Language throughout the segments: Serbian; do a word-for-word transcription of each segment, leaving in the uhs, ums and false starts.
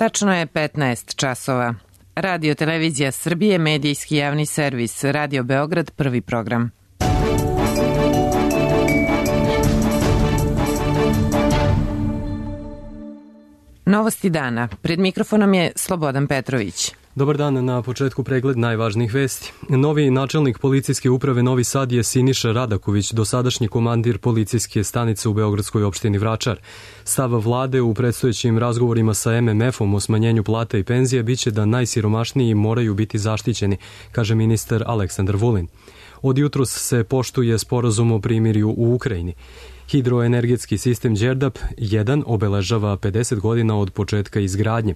Tačno je petnaest časova. Radio Televizija Srbije, medijski javni servis, Radio Beograd, prvi program. Novosti dana. Pred mikrofonom je Slobodan Petrović. Dobar dan, na početku pregled najvažnijih vesti. Novi načelnik policijske uprave Novi Sad je Siniša Radaković, dosadašnji komandir policijske stanice u Beogradskoj opštini Vračar. Stav vlade u predstojećim razgovorima sa em em efom o smanjenju plata i penzija biće da najsiromašniji moraju biti zaštićeni, kaže ministar Aleksandar Vulin. Od jutros se poštuje sporazum o primirju u Ukrajini. Hidroenergetski sistem Đerdap jedan obeležava pedeset godina od početka izgradnje.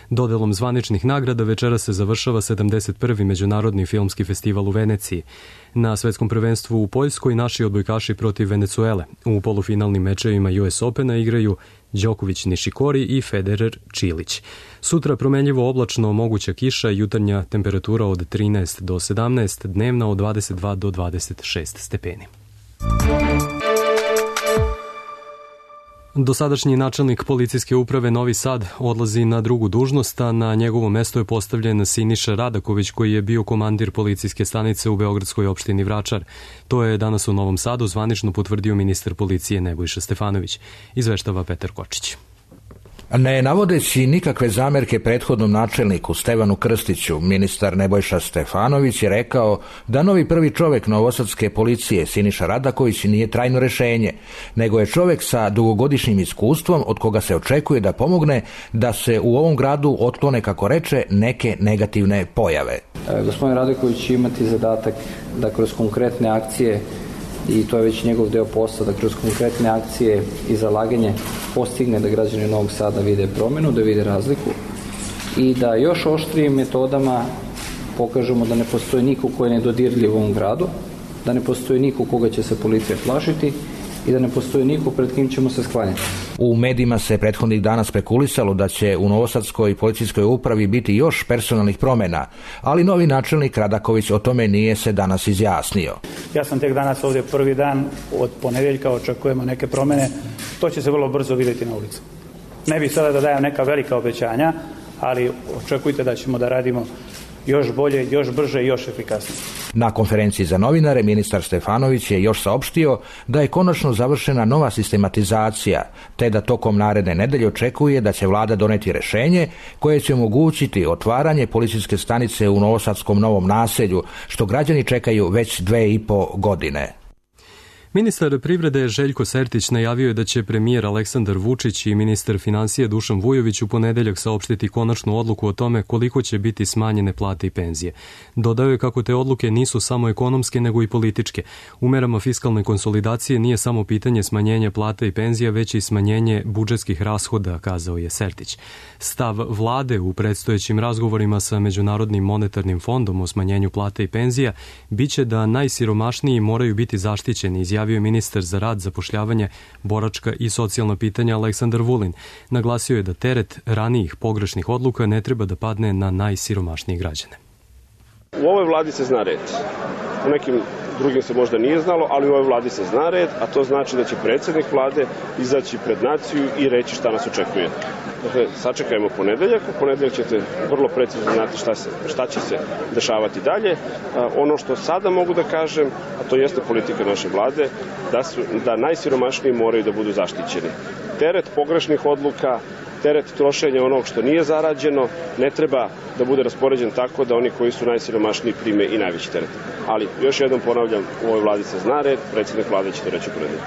Dodelom zvaničnih nagrada večera se završava sedamdeset prvi Međunarodni filmski festival u Veneciji. Na svetskom prvenstvu u Poljskoj naši odbojkaši protiv Venecuele. U polufinalnim mečevima U S Opena igraju Đoković Nišikori i Federer Čilić. Sutra promenljivo oblačno, moguća kiša, jutarnja temperatura od trinaest do sedamnaest, dnevna od dvadeset dva do dvadeset šest stepeni. Dosadašnji načelnik policijske uprave Novi Sad odlazi na drugu dužnost, a na njegovo mesto je postavljen Siniša Radaković, koji je bio komandir policijske stanice u Beogradskoj opštini Vračar. To je danas u Novom Sadu zvanično potvrdio ministar policije Nebojša Stefanović. Izveštava Petar Kočić. Ne navodeći nikakve zamerke prethodnom načelniku Stevanu Krstiću, ministar Nebojša Stefanović je rekao da novi prvi čovek novosadske policije Siniša Radaković nije trajno rešenje, nego je čovek sa dugogodišnjim iskustvom od koga se očekuje da pomogne da se u ovom gradu otklone, kako reče, neke negativne pojave. E, gospodin Radaković će imati zadatak da kroz konkretne akcije, i to je već njegov deo posla, da kroz konkretne akcije i zalaganje postigne da građani Novog Sada vide promenu, da vide razliku i da još oštrijim metodama pokažemo da ne postoji niko ko je nedodirljiv u ovom gradu, da ne postoji niko koga će se policija plašiti i da ne postoji niko pred kim ćemo se sklanjati. U medijima se prethodnih dana spekulisalo da će u Novosadskoj policijskoj upravi biti još personalnih promena, ali novi načelnik Radaković o tome nije se danas izjasnio. Ja sam tek danas ovdje prvi dan, od ponedeljka očekujemo neke promene, to će se vrlo brzo vidjeti na ulici. Ne bih sada da dajem neka velika obećanja, ali očekujte da ćemo da radimo još bolje, još brže i još efikasnije. Na konferenciji za novinare ministar Stefanović je još saopštio da je konačno završena nova sistematizacija, te da tokom naredne nedelje očekuje da će vlada doneti rešenje koje će omogućiti otvaranje policijske stanice u Novosadskom Novom Naselju, što građani čekaju već dve i po godine. Ministar privrede Željko Sertić najavio je da će premijer Aleksandar Vučić i ministar finansija Dušan Vujović u ponedeljak saopštiti konačnu odluku o tome koliko će biti smanjene plate i penzije. Dodao je kako te odluke nisu samo ekonomske nego i političke. U merama fiskalne konsolidacije nije samo pitanje smanjenja plata i penzija, već i smanjenje budžetskih rashoda, kazao je Sertić. Stav vlade u predstojećim razgovorima sa Međunarodnim monetarnim fondom o smanjenju plata i penzija biće da najsiromašniji moraju biti zaštićeni, izjavio je ministar za rad, zapošljavanje, boračka i socijalna pitanja Aleksandar Vulin. Naglasio je da teret ranijih pogrešnih odluka ne treba da padne na najsiromašnije građane. U ovoj vladi se zna red. U nekim drugim se možda nije znalo, ali u ovoj vladi se zna red, a to znači da će predsjednik vlade izaći pred naciju i reći šta nas očekuje. Dakle, sačekajmo ponedeljak, u ponedeljak ćete vrlo precizno znati šta, se, šta će se dešavati dalje. A, ono što sada mogu da kažem, a to jeste politika naše vlade, da, su, da najsiromašniji moraju da budu zaštićeni. Teret pogrešnih odluka, teret trošenja onog što nije zarađeno ne treba da bude raspoređen tako da oni koji su najsiromašniji prime i najveći teret. Ali, još jednom ponavljam, u ovoj vladi se zna red, predsjednik vlade će to reći u ponedeljak.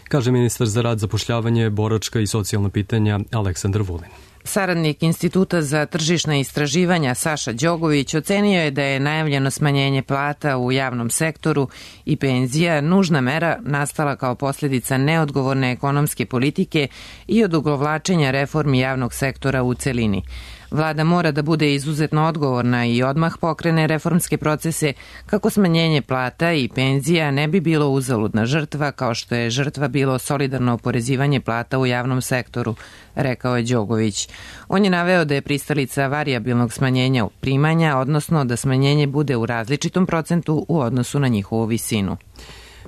Kaže ministar za rad, zapošljavanje, boračka i socijalna pitanja Aleksandar Vulin. Saradnik Instituta za tržišna istraživanja Saša Đogović ocenio je da je najavljeno smanjenje plata u javnom sektoru i penzija nužna mera nastala kao posljedica neodgovorne ekonomske politike i odugovlačenja reformi javnog sektora u celini. Vlada mora da bude izuzetno odgovorna i odmah pokrene reformske procese kako smanjenje plata i penzija ne bi bilo uzaludna žrtva kao što je žrtva bilo solidarno oporezivanje plata u javnom sektoru, rekao je Đogović. On je naveo da je pristalica varijabilnog smanjenja primanja, odnosno da smanjenje bude u različitom procentu u odnosu na njihovu visinu.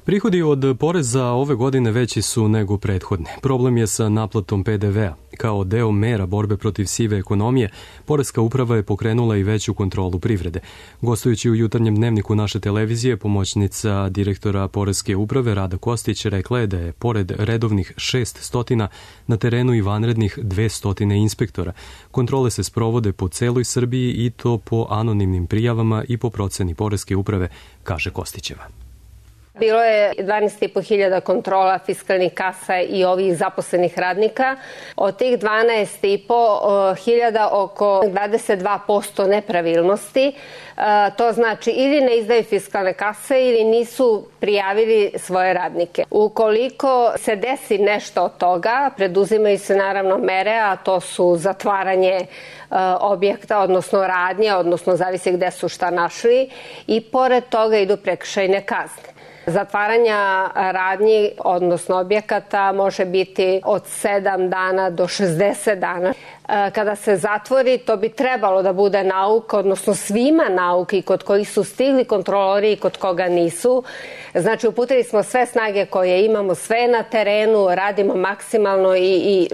Prihodi od poreza ove godine veći su nego prethodne. Problem je sa naplatom P D V-a. Kao deo mera borbe protiv sive ekonomije, Poreska uprava je pokrenula i veću kontrolu privrede. Gostujući u jutarnjem dnevniku naše televizije, pomoćnica direktora Poreske uprave Rada Kostić rekla je da je pored redovnih šest stotina na terenu i vanrednih dve stotine inspektora. Kontrole se sprovode po celoj Srbiji i to po anonimnim prijavama i po proceni Poreske uprave, kaže Kostićeva. Bilo je dvanaest i po hiljada kontrola fiskalnih kasa i ovih zaposlenih radnika. Od tih dvanaest i po hiljada oko dvadeset dva posto nepravilnosti. To znači ili ne izdaju fiskalne kase ili nisu prijavili svoje radnike. Ukoliko se desi nešto od toga, preduzimaju se naravno mere, a to su zatvaranje objekta, odnosno radnje, odnosno zavisi gde su šta našli, i pored toga idu prekršajne kazne. Zatvaranja radnji, odnosno objekata, može biti od sedam dana do šezdeset dana. Kada se zatvori, to bi trebalo da bude nauka, odnosno svima nauka, i kod kojih su stigli kontrolori i kod koga nisu. Znači, uputili smo sve snage koje imamo, sve na terenu, radimo maksimalno i, i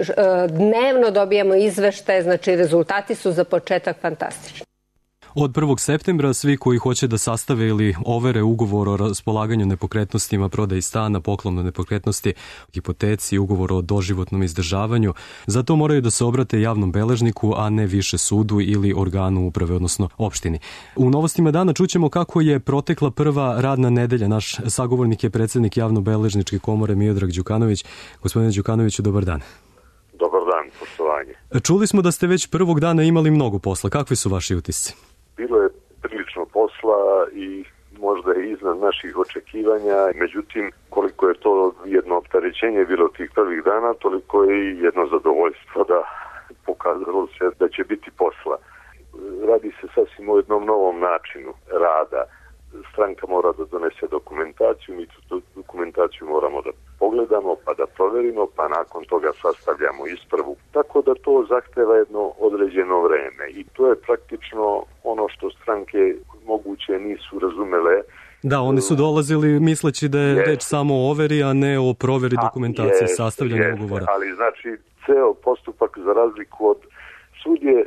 dnevno dobijamo izveštaje, znači rezultati su za početak fantastični. Od prvog septembra svi koji hoće da sastave ili overe ugovor o raspolaganju nepokretnostima, prodaji stana, poklonu nepokretnosti, hipoteci, ugovor o doživotnom izdržavanju, zato moraju da se obrate javnom beležniku, a ne više sudu ili organu uprave, odnosno opštini. U novostima dana čućemo kako je protekla prva radna nedelja. Naš sagovornik je predsednik Javnobeležničke komore Miodrag Đukanović. Gospodine Đukanoviću, dobar dan. Dobar dan, poštovanje. Čuli smo da ste već prvog dana imali mnogo posla. Kakvi su vaši utisci? Bilo je prilično posla i možda i iznad naših očekivanja, međutim, koliko je to jedno opterećenje bilo tih prvih dana, toliko je i jedno zadovoljstvo da pokazalo se da će biti posla. Radi se sasvim o jednom novom načinu rada. Stranka mora da donese dokumentaciju, mi tu dokumentaciju moramo da pogledamo, pa da proverimo, pa nakon toga sastavljamo ispravu. Tako da to zahteva jedno određeno vreme i to je praktično ono što stranke moguće nisu razumele. Da, oni su dolazili misleći da je reč samo o overi, a ne o proveri dokumentacije, jest, sastavljanja jest, ugovora. Ali znači, ceo postupak, za razliku od sud je,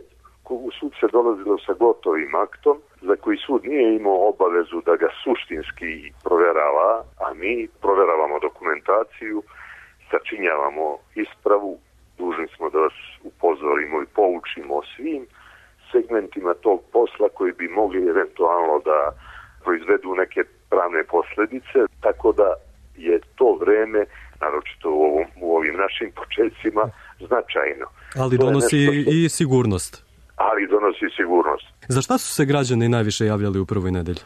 u sud se dolazilo sa gotovim aktom, za koji sud nije imao obavezu da ga suštinski proverava, a mi proveravamo dokumentaciju, sačinjavamo ispravu, dužni smo da vas upozorimo i poučimo o svim segmentima tog posla koji bi mogli eventualno da proizvedu neke pravne posledice, tako da je to vreme, naročito u, ovom, u ovim našim početcima, značajno. Ali donosi što... i sigurnost. Ali donosi sigurnost. Za šta su se građani najviše javljali u prvoj nedelji?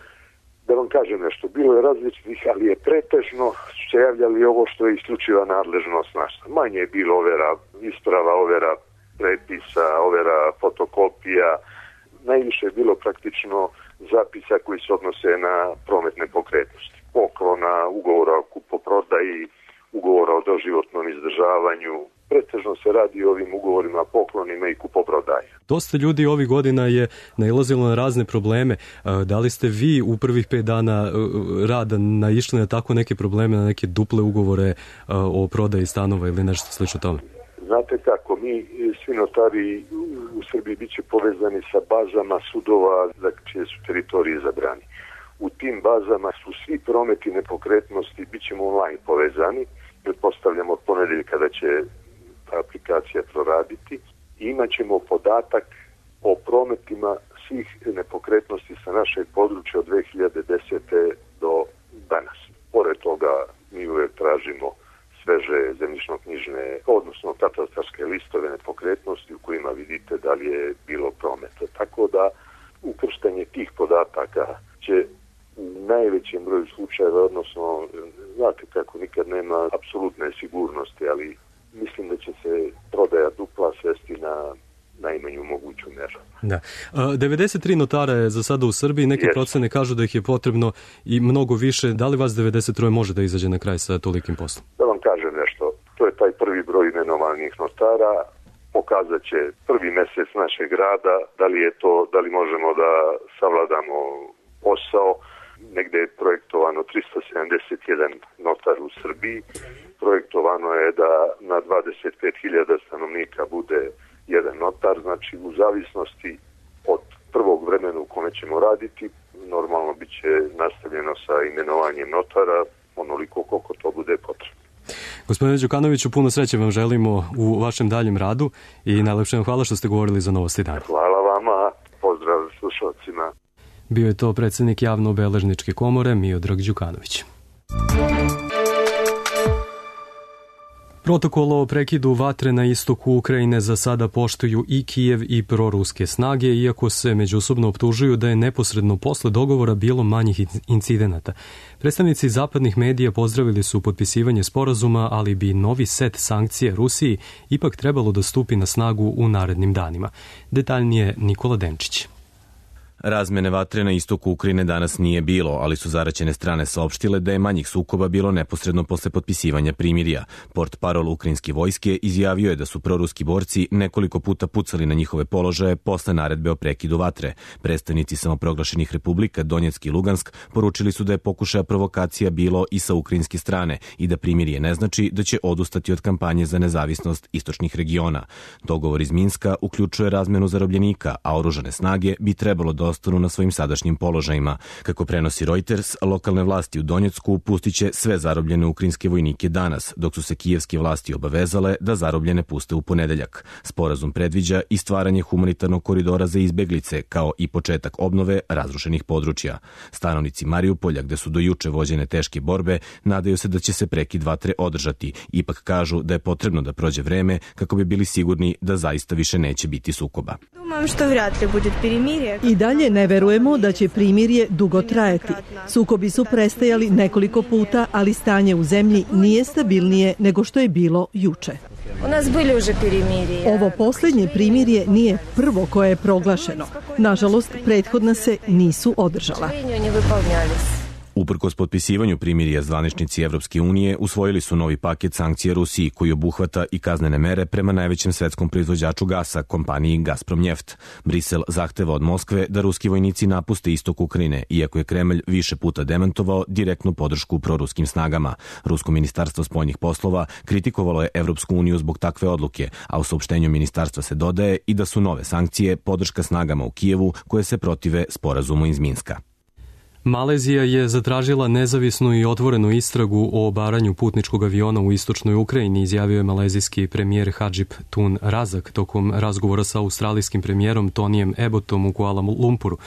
Da vam kažem nešto, bilo je različitih, ali je pretežno se javljali ovo što je isključiva nadležnost naša. Manje je bilo overa isprava, overa prepisa, overa fotokopija. Najviše je bilo praktično zapisa koji se odnose na promet nepokretnosti. Poklona, ugovora o kupoprodaji, ugovora o doživotnom izdržavanju. Pretežno se radi o ovim ugovorima, poklonima i kupoprodaje. Dosta ljudi ovih godina je nailazilo na razne probleme. Da li ste vi u prvih pet dana rada naišli na tako neke probleme, na neke duple ugovore o prodaji stanova ili nešto slično tome? Znate kako, mi svi notari u Srbiji bit će povezani sa bazama sudova za čije su teritorije izabrani. U tim bazama su svi prometi nepokretnosti, bit ćemo online povezani. Pretpostavljamo od ponedeljka da će ta aplikacija proraditi. I imat ćemo podatak o prometima svih nepokretnosti sa našeg područja od dve hiljade desete do danas. Pored toga mi uvek tražimo sveže zemljišno-knjižne, odnosno katastarske listove nepokretnosti u kojima vidite da li je bilo prometa. Tako da ukrštanje tih podataka će u najvećem broju slučajeva, odnosno, znate kako nikad nema apsolutne sigurnosti, ali mislim da će se prodaja dupla svesti na najmanju moguću meru. Da. devedeset tri notara je za sada u Srbiji, neke yes. procene kažu da ih je potrebno i mnogo više. Da li vas devedeset tri može da izađe na kraj sa tolikim poslom? Da vam kažem nešto, to je taj prvi broj imenovanih notara, pokazat će prvi mesec našeg rada, da li je to, da li možemo da savladamo posao. Negde je projektovano tristo sedamdeset jedan notar u Srbiji, projektovano ispoštovano je da na dvadeset pet hiljada stanovnika bude jedan notar, znači u zavisnosti od prvog vremena u kome ćemo raditi, normalno bit će nastavljeno sa imenovanjem notara onoliko koliko to bude potrebno. Gospodine Đukanoviću, puno sreće vam želimo u vašem daljem radu i najlepše vam hvala što ste govorili za Novosti dana. Hvala vama, pozdrav slušalcima. Bio je to predsjednik Javno-beležničke komore Miodrag Đukanović. Protokol o prekidu vatre na istoku Ukrajine za sada poštuju i Kijev i proruske snage, iako se međusobno optužuju da je neposredno posle dogovora bilo manjih incidenata. Predstavnici zapadnih medija pozdravili su potpisivanje sporazuma, ali bi novi set sankcija Rusiji ipak trebalo da stupi na snagu u narednim danima. Detaljnije Nikola Denčić. Razmene vatre na istoku Ukrajine danas nije bilo, ali su zaraćene strane saopštile da je manjih sukoba bilo neposredno posle potpisivanja primirja. Portparol ukrajinske vojske izjavio je da su proruski borci nekoliko puta pucali na njihove položaje posle naredbe o prekidu vatre. Predstavnici samoproglašenih republika Donjeck i Lugansk poručili su da je pokušaja provokacija bilo i sa ukrajinske strane i da primirje ne znači da će odustati od kampanje za nezavisnost istočnih regiona. Dogovor iz Minska uključuje razmenu zarobljenika, a oružane snage bi trebalo da ostanu na svojim sadašnjim položajima. Kako prenosi Reuters, lokalne vlasti u Donjecku pustit će sve zarobljene ukrajinske vojnike danas, dok su se kijevske vlasti obavezale da zarobljene puste u ponedeljak. Sporazum predviđa i stvaranje humanitarnog koridora za izbeglice, kao i početak obnove razrušenih područja. Stanovnici Mariupolja, gde su do juče vođene teške borbe, nadaju se da će se prekid vatre održati. Ipak kažu da je potrebno da prođe vreme kako bi bili sigurni da zaista više neće biti sukoba. I dalje ne verujemo da će primirje dugo trajati. Sukobi su prestajali nekoliko puta, ali stanje u zemlji nije stabilnije nego što je bilo juče. Ovo posljednje primirje nije prvo koje je proglašeno. Nažalost, prethodna se nisu održala. Uprkos potpisivanju primirja, zvaničnici Evropske unije usvojili su novi paket sankcija Rusiji koji obuhvata i kaznene mere prema najvećem svetskom proizvođaču gasa, kompaniji Gazprom Njeft. Brisel zahteva od Moskve da ruski vojnici napuste istok Ukrajine, iako je Kremlj više puta demantovao direktnu podršku proruskim snagama. Rusko ministarstvo spoljnih poslova kritikovalo je Evropsku uniju zbog takve odluke, a u saopštenju ministarstva se dodaje i da su nove sankcije podrška snagama u Kijevu koje se protive sporazumu iz Minska. Malezija je zatražila nezavisnu i otvorenu istragu o obaranju putničkog aviona u istočnoj Ukrajini, izjavio je malezijski premijer Hadžip Tun Razak tokom razgovora sa australijskim premijerom Tonijem Abbottom u Kuala Lumpuru.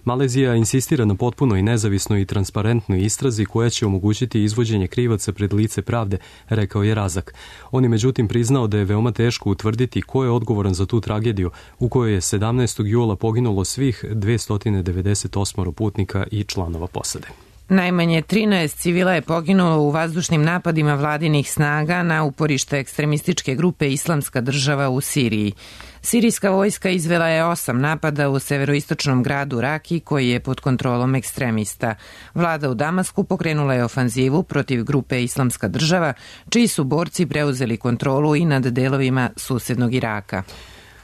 Malezija insistira na potpunoj nezavisnoj i transparentnoj istrazi koja će omogućiti izvođenje krivaca pred lice pravde, rekao je Razak. On je međutim priznao da je veoma teško utvrditi ko je odgovoran za tu tragediju u kojoj je sedamnaestog jula poginulo svih dvesta devedeset osam putnika i članova posade. Najmanje trinaest civila je poginulo u vazdušnim napadima vladinih snaga na uporište ekstremističke grupe Islamska država u Siriji. Sirijska vojska izvela je osam napada u severoistočnom gradu Raki koji je pod kontrolom ekstremista. Vlada u Damasku pokrenula je ofanzivu protiv grupe Islamska država, čiji su borci preuzeli kontrolu i nad delovima susednog Iraka.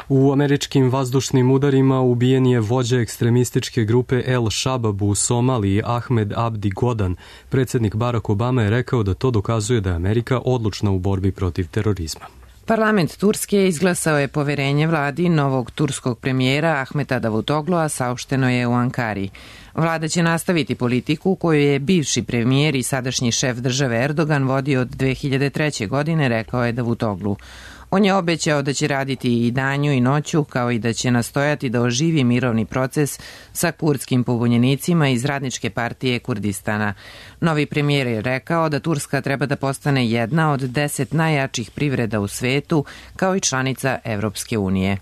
U američkim vazdušnim udarima ubijen je vođa ekstremističke grupe El Shabab u Somaliji Ahmed Abdi Godan. Predsjednik Barack Obama je rekao da to dokazuje da je Amerika odlučna u borbi protiv terorizma. Parlament Turske izglasao je poverenje vladi novog turskog premijera Ahmeta Davutoglu'a, saopšteno je u Ankari. Vlada će nastaviti politiku koju je bivši premijer i sadašnji šef države Erdogan vodio od dve hiljade treće. godine, rekao je Davutoglu. On je obećao da će raditi i danju i noću, kao i da će nastojati da oživi mirovni proces sa kurdskim pobunjenicima iz Radničke partije Kurdistana. Novi premijer je rekao da Turska treba da postane jedna od deset najjačih privreda u svetu, kao i članica Evropske unije.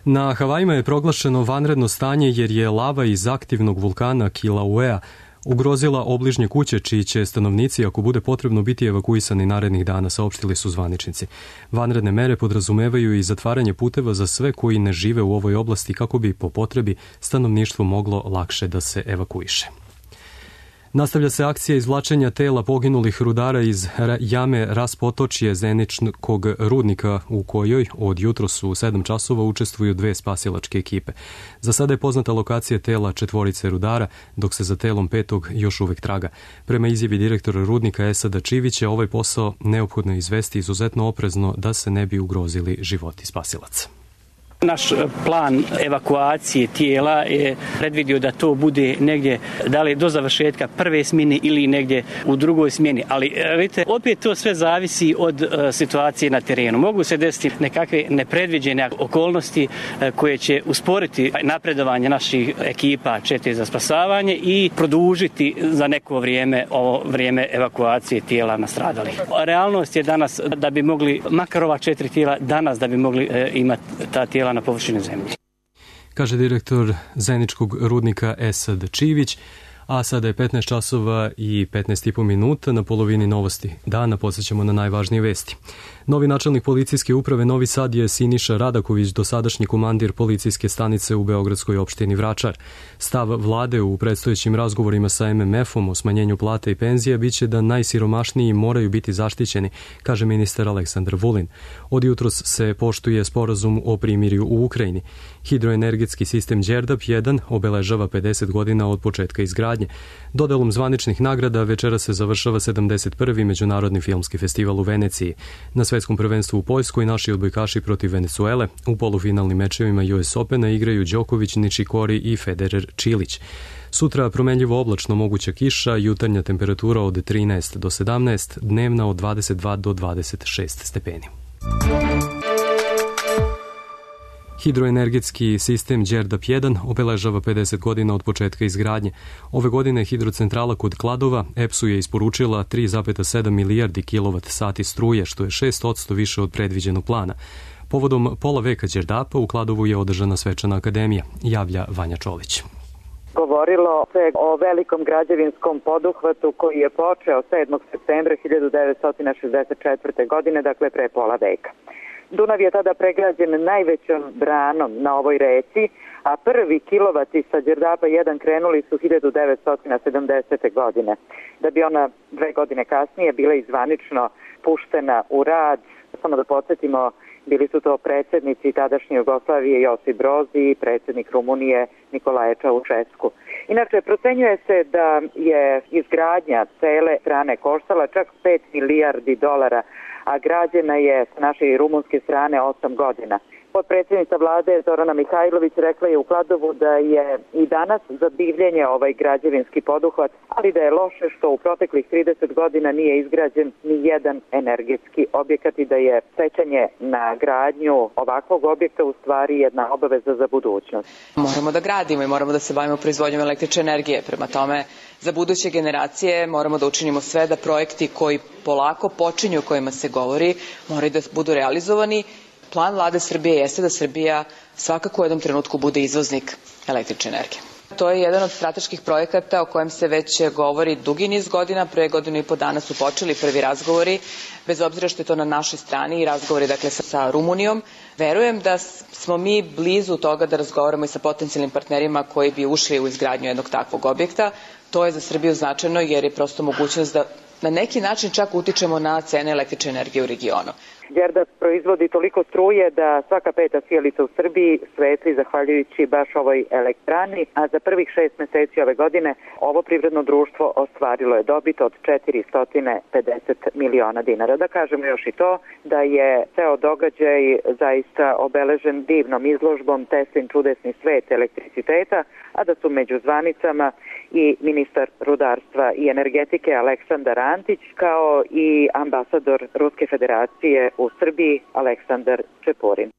Na Havajima je proglašeno vanredno stanje jer je lava iz aktivnog vulkana Kilauea ugrozila obližnje kuće, čiji će stanovnici, ako bude potrebno, biti evakuisani narednih dana, saopštili su zvaničnici. Vanredne mere podrazumevaju i zatvaranje puteva za sve koji ne žive u ovoj oblasti kako bi po potrebi stanovništvo moglo lakše da se evakuiše. Nastavlja se akcija izvlačenja tela poginulih rudara iz jame Raspotočje Zeničkog rudnika u kojoj od jutros u sedam časova učestvuju dve spasilačke ekipe. Za sada je poznata lokacija tela četvorice rudara, dok se za telom petog još uvek traga. Prema izjavi direktora rudnika Esada Čivića, ovaj posao neophodno izvesti izuzetno oprezno da se ne bi ugrozili životi spasilaca. Naš plan evakuacije tijela je predvidio da to bude negdje, da li do završetka prve smjene ili negdje u drugoj smjeni. Ali vidite, opet to sve zavisi od uh, situacije na terenu. Mogu se desiti nekakve nepredviđene okolnosti uh, koje će usporiti napredovanje naših ekipa čete za spasavanje i produžiti za neko vrijeme ovo vrijeme evakuacije tijela nastradalih. Realnost je danas da bi mogli, makar ova četiri tijela danas da bi mogli uh, imati ta tijela na površini zemlje. Kaže direktor Zeničkog rudnika Esad Čivić, a sada je petnaest časova i petnaest i po minuta. Na polovini novosti dana podsjećamo na najvažnije vesti. Novi načelnik policijske uprave Novi Sad je Siniša Radaković, dosadašnji komandir policijske stanice u beogradskoj opštini Vračar. Stav vlade u predstojećim razgovorima sa em em efom o smanjenju plata i penzija biće da najsiromašniji moraju biti zaštićeni, kaže ministar Aleksandar Vulin. Od jutros se poštuje sporazum o primirju u Ukrajini. Hidroenergetski sistem Đerdap jedan obeležava pedeset godina od početka izgradnje. Dodelom zvaničnih nagrada večera se završava sedamdeset prvi Međunarodni filmski festival u Veneciji. Na svetskom prvenstvu u Poljskoj naši odbojkaši protiv Venecuele u polufinalnim mečevima U S Opena igraju Đoković, Ničikori i Federer Čilić. Sutra promenljivo oblačno, moguća kiša, jutarnja temperatura od trinaest do sedamnaest, dnevna od dvadeset dva do dvadeset šest stepeni. Hidroenergetski sistem Đerdap jedan obeležava pedeset godina od početka izgradnje. Ove godine hidrocentrala kod Kladova E P S-u je isporučila tri zarez sedam milijardi kilovat sati struje, što je šest posto više od predviđenog plana. Povodom pola veka Đerdapa u Kladovu je održana svečana akademija, javlja Vanja Čolić. Govorilo se o velikom građevinskom poduhvatu koji je počeo sedmog septembra hiljadu devetsto šezdeset četvrte. godine, dakle pre pola veka. Dunav je tada pregrađen najvećom branom na ovoj reci, a prvi kilovati sa Đerdapa jedan krenuli su hiljadu devetsto sedamdesete. godine. Da bi ona dve godine kasnije bila izvanično puštena u rad, samo da podsjetimo, bili su to predsjednici tadašnje Jugoslavije Josip Broz i predsjednik Rumunije Nikolaje Čaušesku. Inače, procenjuje se da je izgradnja cele strane koštala čak pet milijardi dolara, a građena je s naše i rumunske strane osam godina. Potpredsjednica vlade Zorana Mihajlović rekla je u Kladovu da je i danas za divljenje ovaj građevinski poduhvat, ali da je loše što u proteklih trideset godina nije izgrađen ni jedan energetski objekat i da je sećanje na gradnju ovakvog objekta u stvari jedna obaveza za budućnost. Moramo da gradimo i moramo da se bavimo proizvodnjom električne energije. Prema tome, za buduće generacije moramo da učinimo sve da projekti koji polako počinju, o kojima se govori, moraju da budu realizovani. Plan vlade Srbije jeste da Srbija svakako u jednom trenutku bude izvoznik električne energije. To je jedan od strateških projekata o kojem se već govori dugi niz godina. Pre godinu i po dana su počeli prvi razgovori, bez obzira što je to na našoj strani i razgovori dakle sa, sa Rumunijom. Verujem da smo mi blizu toga da razgovaramo i sa potencijalnim partnerima koji bi ušli u izgradnju jednog takvog objekta. To je za Srbiju značajno jer je prosto mogućnost da na neki način čak utičemo na cene električne energije u regionu. Đerdap proizvodi toliko struje da svaka peta sijalica u Srbiji svetli zahvaljujući baš ovoj elektrani, a za prvih šest meseci ove godine ovo privredno društvo ostvarilo je dobit od četiristo pedeset miliona dinara. Da kažemo još i to da je ceo događaj zaista obeležen divnom izložbom Teslin čudesni svet elektriciteta, a da su među zvanicama i ministar rudarstva i energetike Aleksandar Antić, kao i ambasador Ruske federacije u Srbiji Aleksandar Čeporin.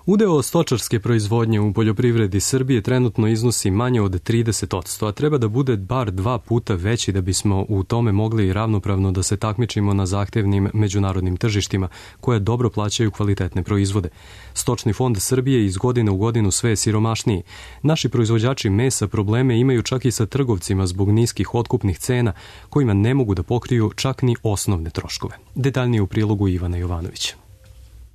Udeo stočarske proizvodnje u poljoprivredi Srbije trenutno iznosi manje od trideset posto, a treba da bude bar dva puta veći da bismo u tome mogli ravnopravno da se takmičimo na zahtevnim međunarodnim tržištima koje dobro plaćaju kvalitetne proizvode. Stočni fond Srbije iz godine u godinu sve je siromašniji. Naši proizvođači mesa probleme imaju čak i sa trgovcima zbog niskih otkupnih cena kojima ne mogu da pokriju čak ni osnovne troškove. Detaljnije u prilogu Ivana Jovanovića.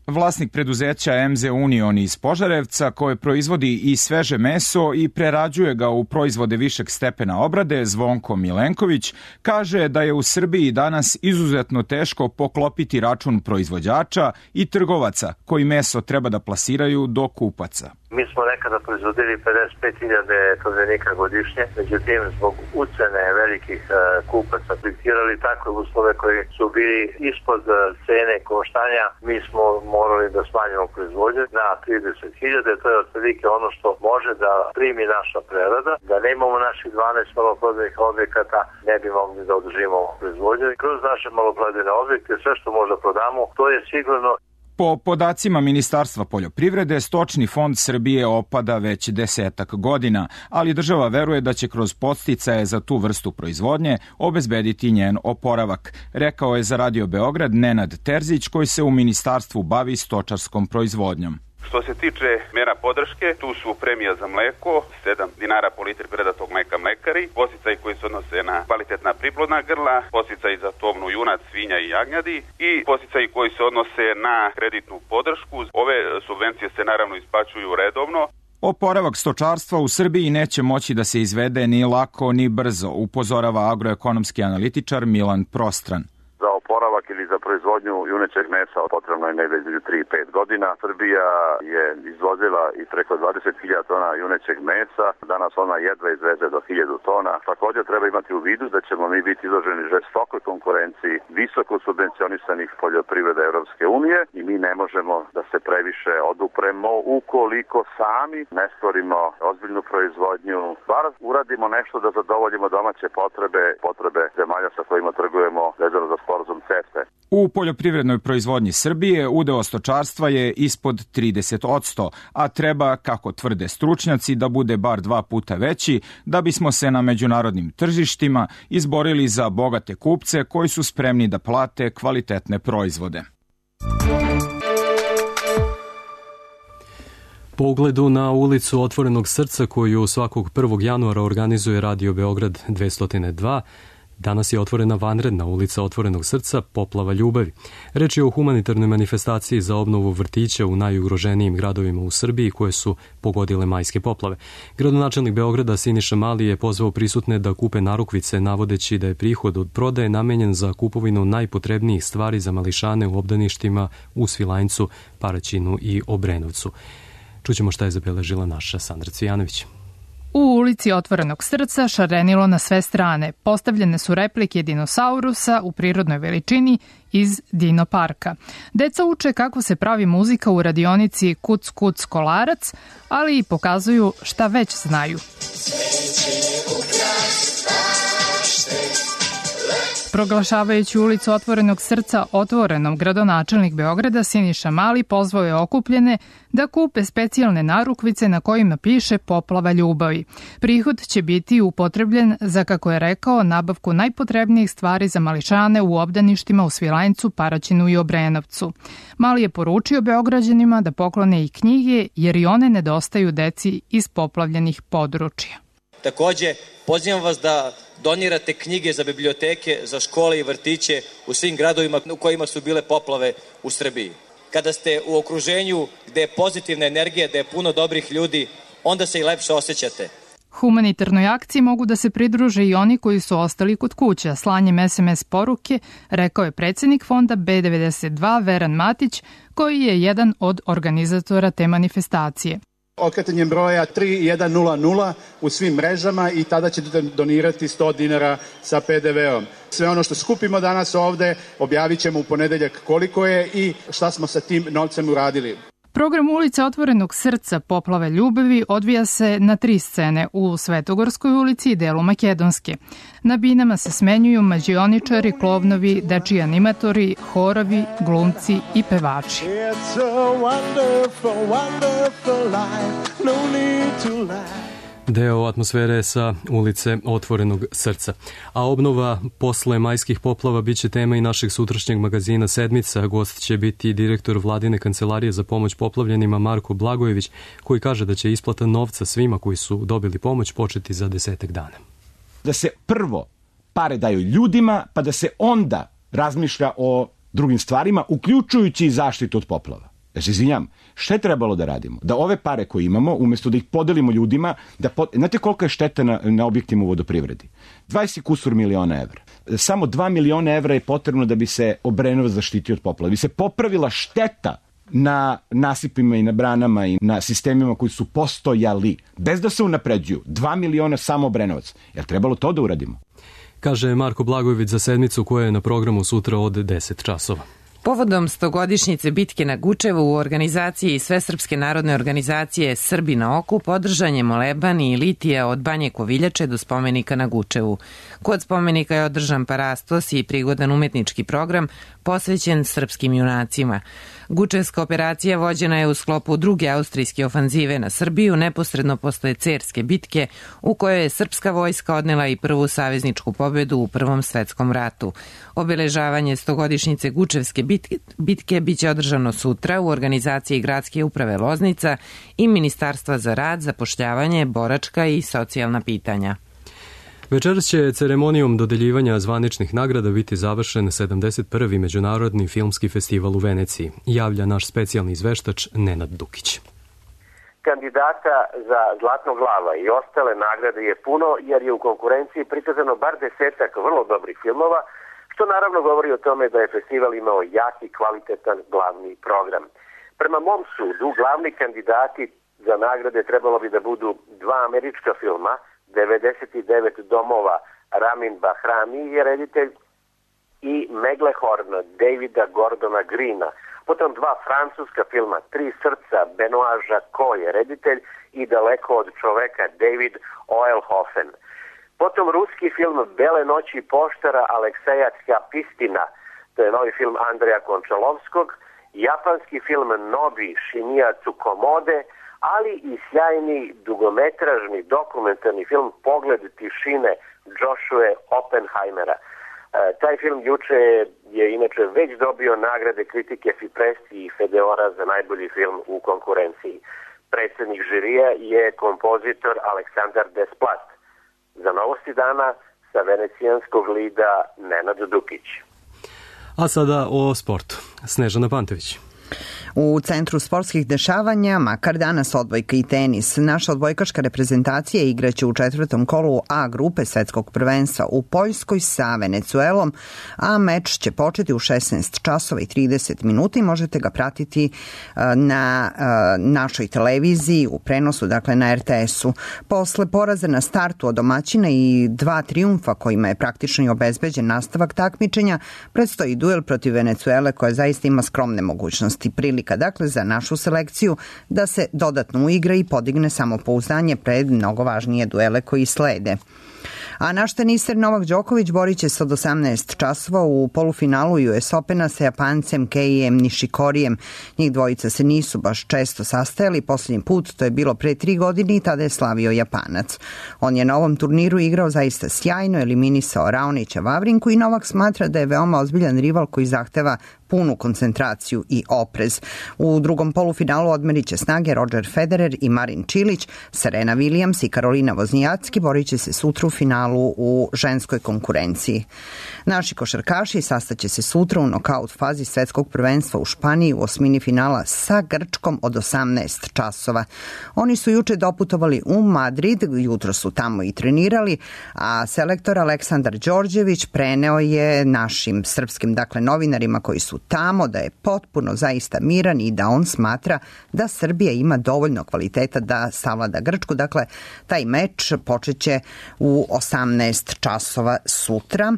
Vlasnik preduzeća M Z Union iz Požarevca, koje proizvodi i sveže meso i prerađuje ga u proizvode višeg stepena obrade, Zvonko Milenković, kaže da je u Srbiji danas izuzetno teško poklopiti račun proizvođača i trgovaca koji meso treba da plasiraju do kupaca. Mi smo nekada proizvodili pedeset pet hiljada tovljenika godišnje, međutim zbog ucene velikih uh, kupaca diktirali takve uslove koji su bili ispod uh, cene koštanja. Mi smo morali da smanjimo proizvodnju na trideset hiljada, to je otprilike ono što može da primi naša prerada. Da ne imamo naših dvanaest maloprodajnih objekata, ne bi mogli da održimo proizvodnju. Kroz naše maloprodajne objekte sve što možda prodamo, to je sigurno. Po podacima Ministarstva poljoprivrede, stočni fond Srbije opada već desetak godina, ali država veruje da će kroz podsticaje za tu vrstu proizvodnje obezbediti njen oporavak, rekao je za Radio Beograd Nenad Terzić, koji se u ministarstvu bavi stočarskom proizvodnjom. Što se tiče mera podrške, tu su premija za mleko, sedam dinara po litri predatog mleka mlekari, podsticaji koji se odnose na kvalitetna priplodna grla, podsticaji za tovnu junac, svinja i jagnjadi i podsticaji koji se odnose na kreditnu podršku. Ove subvencije se naravno isplaćuju redovno. Oporavak stočarstva u Srbiji neće moći da se izvede ni lako ni brzo, upozorava agroekonomski analitičar Milan Prostran. Za oporavak ili za proizvodnju junećeg mesa potrebno je negde između tri i pet godina. Srbija je izvozila i preko dvadeset hiljada tona junećeg mesa, danas ona jedva izveze do hiljadu tona. Također treba imati u vidu da ćemo mi biti izloženi žestokoj konkurenciji visoko subvencionisanih poljoprivreda Evropske unije i mi ne možemo da se previše odupremo ukoliko sami ne stvorimo ozbiljnu proizvodnju, bar uradimo nešto da zadovoljimo domaće potrebe, potrebe zemalja sa kojima trgujemo vezano za sporazum C E F T E. U poljoprivrednoj proizvodnji Srbije udeo stočarstva je ispod trideset posto, a treba, kako tvrde stručnjaci, da bude bar dva puta veći da bismo se na međunarodnim tržištima izborili za bogate kupce koji su spremni da plate kvalitetne proizvode. Po ugledu na ulicu Otvorenog srca koju svakog prvog januara organizuje Radio Beograd dvesta dva, danas je otvorena vanredna ulica Otvorenog srca Poplava ljubavi. Reč je o humanitarnoj manifestaciji za obnovu vrtića u najugroženijim gradovima u Srbiji koje su pogodile majske poplave. Gradonačelnik Beograda Siniša Mali je pozvao prisutne da kupe narukvice, navodeći da je prihod od prodaje namenjen za kupovinu najpotrebnijih stvari za mališane u obdaništima u Svilajncu, Paraćinu i Obrenovcu. Čućemo šta je zabeležila naša Sandra Cvijanović. U ulici Otvorenog srca šarenilo na sve strane. Postavljene su replike dinosaurusa u prirodnoj veličini iz Dino parka. Deca uče kako se pravi muzika u radionici Kuc Kuc Kolarac, ali i pokazuju šta već znaju. Proglašavajući ulicu Otvorenog srca otvorenom, gradonačelnik Beograda Siniša Mali pozvao je okupljene da kupe specijalne narukvice na kojima piše Poplava ljubavi. Prihod će biti upotrebljen za, kako je rekao, nabavku najpotrebnijih stvari za mališane u obdaništima u Svilajncu, Paraćinu i Obrenovcu. Mali je poručio Beograđanima da poklone i knjige jer i one nedostaju deci iz poplavljenih područja. Takođe, pozivam vas da donirate knjige za biblioteke, za škole i vrtiće u svim gradovima u kojima su bile poplave u Srbiji. Kada ste u okruženju gde je pozitivna energija, gde je puno dobrih ljudi, onda se i lepše osjećate. Humanitarnoj akciji mogu da se pridruže i oni koji su ostali kod kuća. Slanjem es em es poruke, rekao je predsjednik fonda be devedeset dva Veran Matić, koji je jedan od organizatora te manifestacije. Okretanjem broja tri jedan nula nula u svim mrežama i tada ćete donirati sto dinara sa pe de veom. Sve ono što skupimo danas ovde objavit ćemo u ponedeljak koliko je i šta smo sa tim novcem uradili. Program ulice Otvorenog srca Poplave ljubavi odvija se na tri scene u Svetogorskoj ulici i delu Makedonske. Na binama se smenjuju mađioničari, klovnovi, dečiji animatori, horovi, glumci i pevači. It's a wonderful, wonderful life, no need to laugh. Deo atmosfere sa ulice Otvorenog srca. A obnova posle majskih poplava biće tema i našeg sutrašnjeg magazina Sedmica. Gost će biti direktor Vladine kancelarije za pomoć poplavljenima Marko Blagojević, koji kaže da će isplata novca svima koji su dobili pomoć početi za desetak dana. Da se prvo pare daju ljudima, pa da se onda razmišlja o drugim stvarima, uključujući i zaštitu od poplava. Ja se izvinjam, šta je trebalo da radimo? Da ove pare koje imamo, umjesto da ih podelimo ljudima, da pod... znate koliko je šteta na, na objektima u vodoprivredi? dvadeset kusur miliona evra. Samo dva miliona evra je potrebno da bi se Obrenovac zaštitio od poplava. Da bi se popravila šteta na nasipima i na branama i na sistemima koji su postojali, bez da se unapređuju. Dva miliona samo Obrenovac. Je li trebalo to da uradimo? Kaže Marko Blagojević za sedmicu koja je na programu sutra od deset časova. Povodom stogodišnjice bitke na Gučevu u organizaciji Svesrpske narodne organizacije Srbi na oku podržan je moleban i litija od Banje Koviljače do spomenika na Gučevu. Kod spomenika je održan parastos i prigodan umetnički program posvećen srpskim junacima. Gučevska operacija vođena je u sklopu druge austrijske ofanzive na Srbiju neposredno posle Cerske bitke u kojoj je srpska vojska odnela i prvu savezničku pobedu u Prvom svetskom ratu. Obeležavanje stogodišnjice Gučevske bitke, bitke biće održano sutra u organizaciji Gradske uprave Loznica i Ministarstva za rad, zapošljavanje, boračka i socijalna pitanja. Večeras će ceremonijom dodeljivanja zvaničnih nagrada biti završen sedamdeset prvi Međunarodni filmski festival u Veneciji, javlja naš specijalni izveštač Nenad Dukić. Kandidata za Zlatnog lava i ostale nagrade je puno jer je u konkurenciji prikazano bar desetak vrlo dobrih filmova, što naravno govori o tome da je festival imao jak i kvalitetan glavni program. Prema mom sudu, glavni kandidati za nagrade trebalo bi da budu dva američka filma, devedeset devet domova Ramin Bahrami je reditelj i Meglehorn Davida Gordona Greena. Potom dva francuska filma, Tri srca Benoit Jacot je reditelj i Daleko od čoveka David Oelhofen. Potom ruski film Bele noći poštara Alekseja Tjapistina, to je novi film Andreja Končalovskog, japanski film Nobi Shinya Tsukomode, ali i sjajni dugometražni dokumentarni film Pogled tišine Joshua Oppenheimera. E, taj film juče je inače već dobio nagrade kritike Fipresti i Fedeora za najbolji film u konkurenciji. Predsjednik žirija je kompozitor Aleksandar Desplat. Za novosti dana sa venecijanskog lida Nenad Dukić. A sada o sportu. Snežana Pantević. U centru sportskih dešavanja, makar danas odbojka i tenis. Naša odbojkaška reprezentacija igraće u četvrtom kolu A grupe svetskog prvenstva u Poljskoj sa Venecuelom, a meč će početi u šesnaest časova i trideset minuta i možete ga pratiti na našoj televiziji u prenosu, dakle na er te esu. Posle poraza na startu od domaćina i dva trijumfa kojima je praktično i obezbeđen nastavak takmičenja, predstoji duel protiv Venecuele koja zaista ima skromne mogućnosti. Prilika dakle za našu selekciju da se dodatno uigra i podigne samopouzdanje pred mnogo važnije duele koji slede. A naš teniser Novak Đoković borit će se od osamnaest časova u polufinalu U S Opena sa Japancem Keijem Nishikorijem. Njih dvojica se nisu baš često sastajali, posljednji put to je bilo pre tri godine i tada je slavio Japanac. On je na ovom turniru igrao zaista sjajno, eliminisao Raonića Vavrinku i Novak smatra da je veoma ozbiljan rival koji zahteva punu koncentraciju i oprez. U drugom polufinalu odmerit će snage Roger Federer i Marin Čilić, Serena Williams i Karolina Voznijacki borit će se sutra u finalu u ženskoj konkurenciji. Naši košarkaši sastaće se sutra u nokaut fazi svetskog prvenstva u Španiji u osmini finala sa Grčkom od osamnaest časova. Oni su juče doputovali u Madrid, jutro su tamo i trenirali, a selektor Aleksandar Đorđević preneo je našim srpskim dakle novinarima koji su tamo da je potpuno zaista miran i da on smatra da Srbija ima dovoljno kvaliteta da savlada Grčku. Dakle, taj meč počeće u osamnaest časova sutra.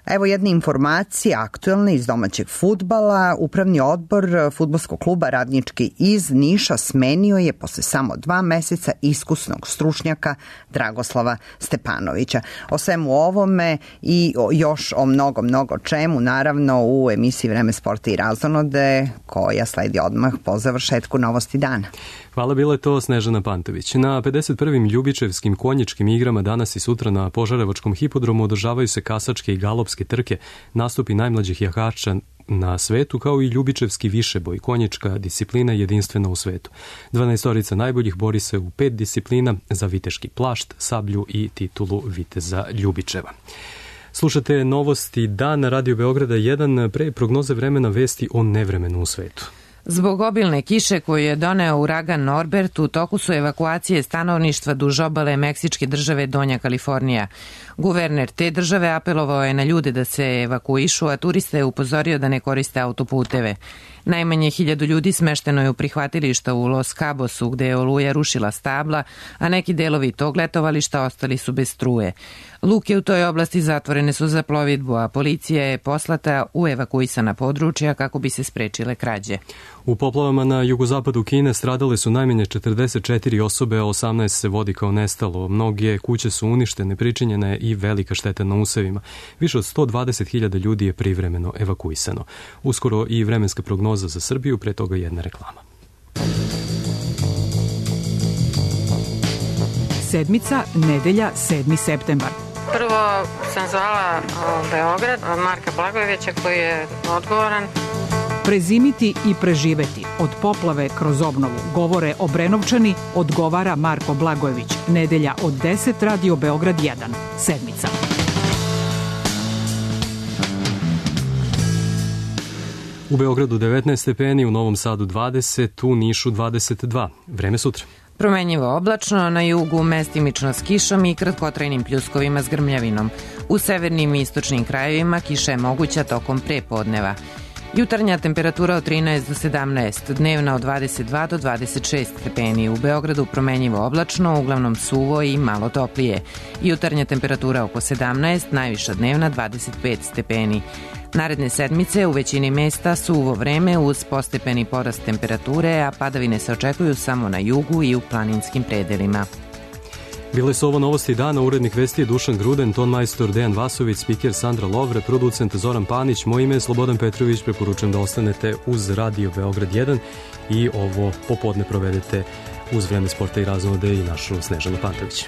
Evo jedne informacije aktuelne iz domaćeg fudbala. Upravni odbor fudbalskog kluba Radnički iz Niša smenio je posle samo dva meseca iskusnog stručnjaka Dragoslava Stepanovića. O svemu ovome i o, još o mnogo, mnogo čemu, naravno u emisiji Vreme sporta i razonode koja sledi odmah po završetku novosti dana. Hvala, bila je to Snežana Pantović. Na pedeset prvim Ljubičevskim konjičkim igrama danas i sutra na Požarevačkom hipodromu održavaju se kasačke i galopske trke, nastupi najmlađih jahača na svetu, kao i Ljubičevski višeboj, konjička disciplina jedinstvena u svetu. dvanaestorica najboljih bori se u pet disciplina za viteški plašt, sablju i titulu viteza Ljubičeva. Slušate novosti dan na Radio Beograda jedan, pre prognoze vremena vesti o nevremenu u svetu. Zbog obilne kiše koju je doneo uragan Norbert, u toku su evakuacije stanovništva duž obale meksičke države Donja Kalifornija. Guverner te države apelovao je na ljude da se evakuišu, a turiste je upozorio da ne koriste autoputeve. Najmanje hiljadu ljudi smešteno je u prihvatilišta u Los Cabosu, gde je oluja rušila stabla, a neki delovi tog letovališta ostali su bez struje. Luke u toj oblasti zatvorene su za plovidbu, a policija je poslata u evakuisana područja kako bi se sprečile krađe. U poplavama na jugozapadu Kine stradale su najmanje četrdeset četiri osobe, a osamnaest se vodi kao nestalo. Mnoge kuće su uništene, pričinjena je i velika šteta na usevima. Više od sto dvadeset hiljada ljudi je privremeno evakuisano. Uskoro i vremenska prognoza za Srbiju, pre toga jedna reklama. Sedmica, nedelja, sedmi septembar. Prvo sam zvala u Beograd Marka Blagojevića koji je odgovoran. Prezimiti i preživeti. Od poplave kroz obnovu. Govore Obrenovčani, odgovara Marko Blagojević. Nedelja od deset, Radio Beograd jedan. Sedmica. U Beogradu devetnaest stepeni, u Novom Sadu dvadeset, u Nišu dvadeset dva. Vreme sutra. Promenjivo oblačno, na jugu mestimično s kišom i kratkotrajnim pljuskovima s grmljavinom. U severnim i istočnim krajevima kiša je moguća tokom prepodneva. Jutarnja temperatura od trinaest do sedamnaest, dnevna od dvadeset dva do dvadeset šest stepeni. U Beogradu promenjivo oblačno, uglavnom suvo i malo toplije. Jutarnja temperatura oko sedamnaest, najviša dnevna dvadeset pet stepeni. Naredne sedmice u većini mesta suvo vreme uz postepeni porast temperature, a padavine se očekuju samo na jugu i u planinskim predelima. Bile su ovo novosti dana, urednik vesti je Dušan Gruden, ton majstor Dejan Vasović, spiker Sandra Lovre, producent Zoran Panić, moje ime je Slobodan Petrović, preporučujem da ostanete uz Radio Beograd jedan i ovo popodne provedete uz Vreme sporta i razvode i našu Snežanu Pantović.